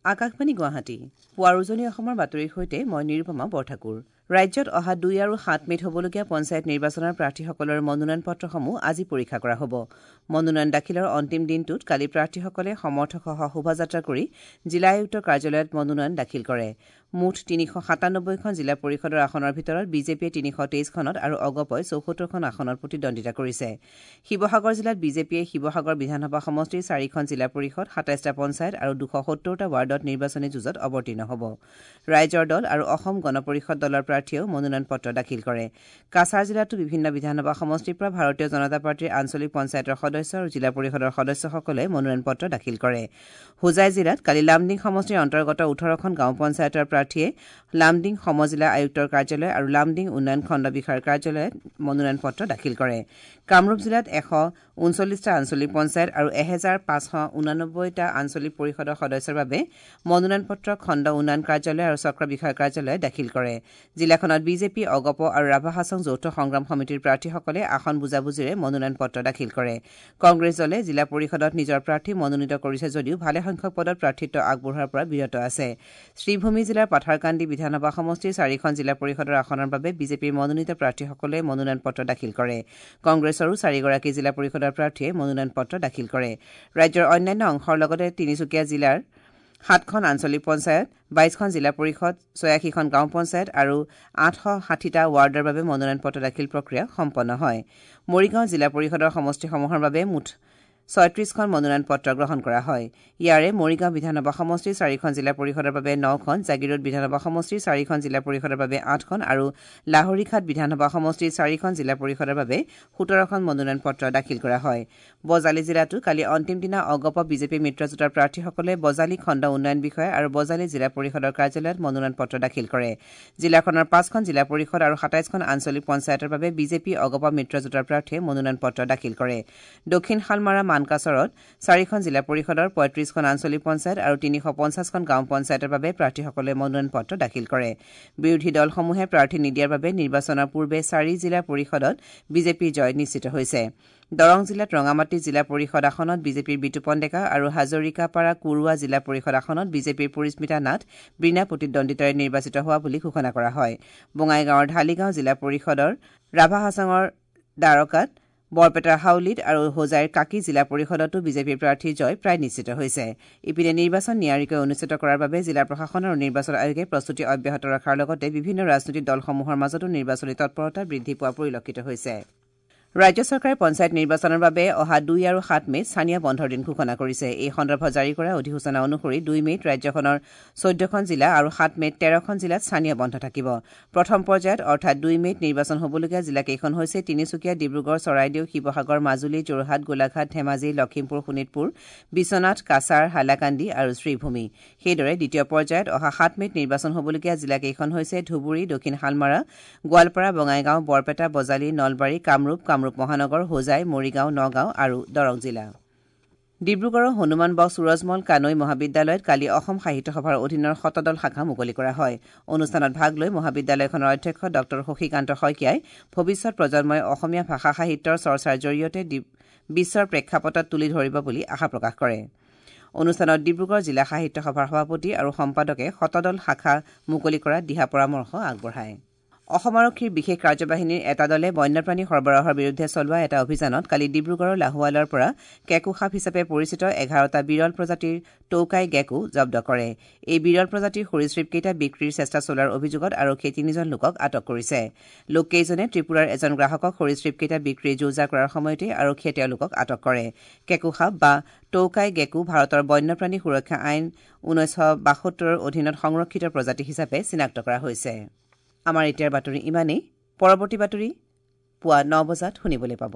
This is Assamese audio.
আকাশবাণী গুৱাহাটী, পুৱাৰ উজনি অসমৰ বাতৰিৰ সৈতে মই নিৰুপমা বৰঠাকুৰ। ৰাজ্যত অহা 2 আৰু 7 মে'ত হ'বলগীয়া পঞ্চায়ত নিৰ্বাচনৰ প্ৰাৰ্থীসকলৰ মনোনয়ন পত্ৰসমূহ আজি পৰীক্ষা কৰা হ'ব। মনোনয়ন দাখিলৰ অন্তিম দিনটোত কালি প্ৰাৰ্থীসকলে সমৰ্থকসহ শোভাযাত্ৰা কৰি জিলা আয়ুক্তৰ কাৰ্যালয়ত মনোনয়ন দাখিল কৰে। মুঠ 397খন জিলা পৰিষদৰ আসনৰ ভিতৰত বিজেপিয়ে 323খনত আৰু অগপই 74খন আসনত প্ৰতিদ্বন্দ্বিতা কৰিছে। শিৱসাগৰ জিলাত বিজেপিয়ে শিৱসাগৰ বিধানসভা সমষ্টিৰ 4খন জিলা পৰিষদ, 27টা পঞ্চায়ত আৰু 270টা ৱাৰ্ডত নিৰ্বাচনী যুঁজত অৱতীৰ্ণ হ'ব। ৰাইজৰ দল আৰু অসম গণ পৰিষদ দলৰ প্ৰাৰ্থীয়েও মনোনয়ন পত্ৰ দাখিল কৰে। কাছাৰ জিলাতো বিভিন্ন বিধানসভা সমষ্টিৰ পৰা ভাৰতীয় জনতা পাৰ্টীৰ আঞ্চলিক পঞ্চায়তৰ সদস্য আৰু জিলা পৰিষদৰ সদস্যসকলে মনোনয়ন পত্ৰ দাখিল কৰে। হোজাই জিলাত কালি লামডিং সমষ্টিৰ অন্তৰ্গত 18খন গাঁও পঞ্চায়তৰ প্ৰাৰ্থীয়ে লামডিং সমজিলা আয়ুক্তৰ কাৰ্যালয় আৰু লামডিং উন্নয়ন খণ্ড বিষয়াৰ কাৰ্যালয়ত মনোনয়ন পত্ৰ দাখিল কৰে। কামৰূপ জিলাত 139টা আঞ্চলিক পঞ্চায়ত আৰু 1589টা আঞ্চলিক পৰিষদৰ সদস্যৰ বাবে মনোনয়ন পত্ৰ খণ্ড উন্নয়ন কাৰ্যালয় আৰু চক্ৰ বিষয়াৰ কাৰ্যালয়ে দাখিল কৰে। জিলাখনত বিজেপি, অগপ আৰু ৰাভা হাছং যৌথ সংগ্ৰাম সমিতিৰ প্ৰাৰ্থীসকলে আসন বুজাবুজিৰে মনোনয়ন পত্ৰ দাখিল কৰে। কংগ্ৰেছ দলে জিলা পৰিষদত নিজৰ প্ৰাৰ্থী মনোনীত কৰিছে যদিও ভালেসংখ্যক পদত প্ৰাৰ্থিত্ব আগবঢ়োৱাৰ পৰা বিৰত আছে। শ্ৰীভূমি জিলাৰ পাথাৰকান্দি বিধানসভা সমষ্টিৰ 4খন জিলা পৰিষদৰ আসনৰ বাবে বিজেপিৰ মনোনীত প্ৰাৰ্থীসকলে মনোনয়ন পত্ৰ দাখিল কৰে। কংগ্ৰেছৰো 4গৰাকী জিলা পৰিষদৰ প্ৰাৰ্থীয়ে মনোনয়ন পত্ৰ দাখিল কৰে। ৰাজ্যৰ অন্যান্য অংশৰ লগতে তিনিচুকীয়া জিলাৰ 7খন আঞ্চলিক পঞ্চায়ত, 22খন জিলা পৰিষদ, 86খন গাঁও পঞ্চায়ত আৰু 860টা ৱাৰ্ডৰ বাবে মনোনয়ন পত্ৰ দাখিল প্ৰক্ৰিয়া সম্পন্ন হয়। মৰিগাঁও জিলা পৰিষদৰ সমষ্টিসমূহৰ বাবে মুঠ 36খন মনোনয়ন পত্ৰ গ্ৰহণ কৰা হয়। ইয়াৰে মৰিগাঁও বিধানসভা সমষ্টিৰ 4খন জিলা পৰিষদৰ বাবে 9খন, জাগীৰোড বিধানসভা সমষ্টিৰ 4খন জিলা পৰিষদৰ বাবে 8খন আৰু লাহৰীঘাট বিধানসভা সমষ্টিৰ 4খন জিলা পৰিষদৰ বাবে 17খন মনোনয়ন পত্ৰ দাখিল কৰা হয়। বজালী জিলাতো কালি অন্তিম দিনা অগপ বিজেপি মিত্ৰজোঁটৰ প্ৰাৰ্থীসকলে বজালী খণ্ড উন্নয়ন বিষয়া আৰু বজালী জিলা পৰিষদৰ কাৰ্যালয়ত মনোনয়ন পত্ৰ দাখিল কৰে। জিলাখনৰ 5খন জিলা পৰিষদ আৰু 27খন আঞ্চলিক পঞ্চায়তৰ বাবে বিজেপি অগপ মিত্ৰজোঁটৰ প্ৰাৰ্থীয়ে মনোনয়ন পত্ৰ দাখিল কৰে। দক্ষিণ শালমাৰা মানকাচৰত 4খন জিলা পৰিষদৰ 35খন আঞ্চলিক পঞ্চায়ত আৰু 350খন গাঁও পঞ্চায়তৰ বাবে প্ৰাৰ্থীসকলে মনোনয়ন পত্ৰ দাখিল কৰে। বিৰোধী দলসমূহে প্ৰাৰ্থী নিদিয়াৰ বাবে নিৰ্বাচনৰ পূৰ্বে 4 জিলা পৰিষদত বিজেপিৰ জয় নিশ্চিত হৈছে। দৰং জিলাত ৰঙামাটি জিলা পৰিষদ আসনত বিজেপিৰ বিতুপন ডেকা আৰু হাজৰিকাপাৰা কুৰুৱা জিলা পৰিষদ আসনত বিজেপিৰ পৰিস্মিতা নাথ বিনা প্ৰতিদ্বন্দ্বিতাৰে নিৰ্বাচিত হোৱা বুলি ঘোষণা কৰা হয়। বঙাইগাঁৱৰ ঢালিগাঁও জিলা পৰিষদৰ ৰাভা হাছাঙৰ দ্বাৰকাত, বৰপেটাৰ হাউলিত আৰু হোজাইৰ কাকী জিলা পৰিষদতো বিজেপিৰ প্ৰাৰ্থীৰ জয় প্ৰায় নিশ্চিত হৈছে। ইপিনে নিৰ্বাচন নিয়াৰিকৈ অনুষ্ঠিত কৰাৰ বাবে জিলা প্ৰশাসন আৰু নিৰ্বাচন আয়োগে প্ৰস্তুতি অব্যাহত ৰখাৰ লগতে বিভিন্ন ৰাজনৈতিক দলসমূহৰ মাজতো নিৰ্বাচনী তৎপৰতা বৃদ্ধি পোৱা পৰিলক্ষিত হৈছে। ৰাজ্য চৰকাৰে পঞ্চায়ত নিৰ্বাচনৰ বাবে অহা 2 আৰু 7 মে'ত স্থানীয় বন্ধৰ দিন ঘোষণা কৰিছে। এই সন্দৰ্ভত জাৰি কৰা অধিসূচনা অনুসৰি 2 মে'ত ৰাজ্যখনৰ 14খন জিলা আৰু 7 মে'ত 13খন জিলাত স্থানীয় বন্ধ থাকিব। প্ৰথম পৰ্যায়ত অৰ্থাৎ 2 মে'ত নিৰ্বাচন হ'বলগীয়া জিলাকেইখন হৈছে তিনিচুকীয়া, ডিব্ৰুগড়, চৰাইদেউ, শিৱসাগৰ, মাজুলী, যোৰহাট, গোলাঘাট, ধেমাজি, লখিমপুৰ, শোণিতপুৰ, বিশ্বনাথ, কাছাৰ, হাইলাকান্দি আৰু শ্ৰীভূমি। সেইদৰে দ্বিতীয় পৰ্যায়ত অহা 7 মে'ত নিৰ্বাচন হ'বলগীয়া জিলাকেইখন হৈছে ধুবুৰী, দক্ষিণ শালমাৰা, গোৱালপাৰা, বঙাইগাঁও, বৰপেটা, বজালী, নলবাৰী, কামৰূপ, কামৰূপ মহানগৰ, হোজাই, মৰিগাঁও, নগাঁও আৰু দৰং জিলা। ডিব্ৰুগড়ৰ হনুমান বক্স সুৰজমল কানৈ মহাবিদ্যালয়ত কালি অসম সাহিত্য সভাৰ অধীনৰ শতদল শাখা মুকলি কৰা হয়। অনুষ্ঠানত ভাগ লৈ মহাবিদ্যালয়খনৰ অধ্যক্ষ ডঃ শশীকান্ত শইকীয়াই ভৱিষ্যত প্ৰজন্মই অসমীয়া ভাষা সাহিত্যৰ চৰ্চাৰ জৰিয়তে বিশ্বৰ প্ৰেক্ষাপটত তুলি ধৰিব বুলি আশা প্ৰকাশ কৰে। অনুষ্ঠানত ডিব্ৰুগড় জিলা সাহিত্য সভাৰ সভাপতি আৰু সম্পাদকে শতদল শাখা মুকলি কৰাত দিহা পৰামৰ্শ আগবঢ়ায়। অসম আৰক্ষীৰ বিশেষ কাৰ্যবাহিনীৰ এটা দলে বন্যপ্ৰাণী সৰবৰাহৰ বিৰুদ্ধে চলোৱা এটা অভিযানত কালি ডিব্ৰুগড়ৰ লাহোৱালৰ পৰা কেকো সাপ হিচাপে পৰিচিত 11টা বিৰল প্ৰজাতিৰ টৌকাই গেকো জব্দ কৰে। এই বিৰল প্ৰজাতিৰ সৰীসৃপকেইটা বিক্ৰীৰ চেষ্টা চলোৱাৰ অভিযোগত আৰক্ষীয়ে 3জন লোকক আটক কৰিছে। লোককেইজনে ত্ৰিপুৰাৰ এজন গ্ৰাহকক সৰীসৃপকেইটা বিক্ৰীৰ যো-জা কৰাৰ সময়তে আৰক্ষীয়ে তেওঁলোকক আটক কৰে। কেকো সাপ বা টৌকাই গেকো ভাৰতৰ বন্যপ্ৰাণী সুৰক্ষা আইন 1972ৰ অধীনত সংৰক্ষিত প্ৰজাতি হিচাপে চিনাক্ত কৰা হৈছে। আমাৰ এতিয়াৰ বাতৰি ইমানেই। পৰৱৰ্তী বাতৰি পুৱা 9 বজাত শুনিবলৈ পাব।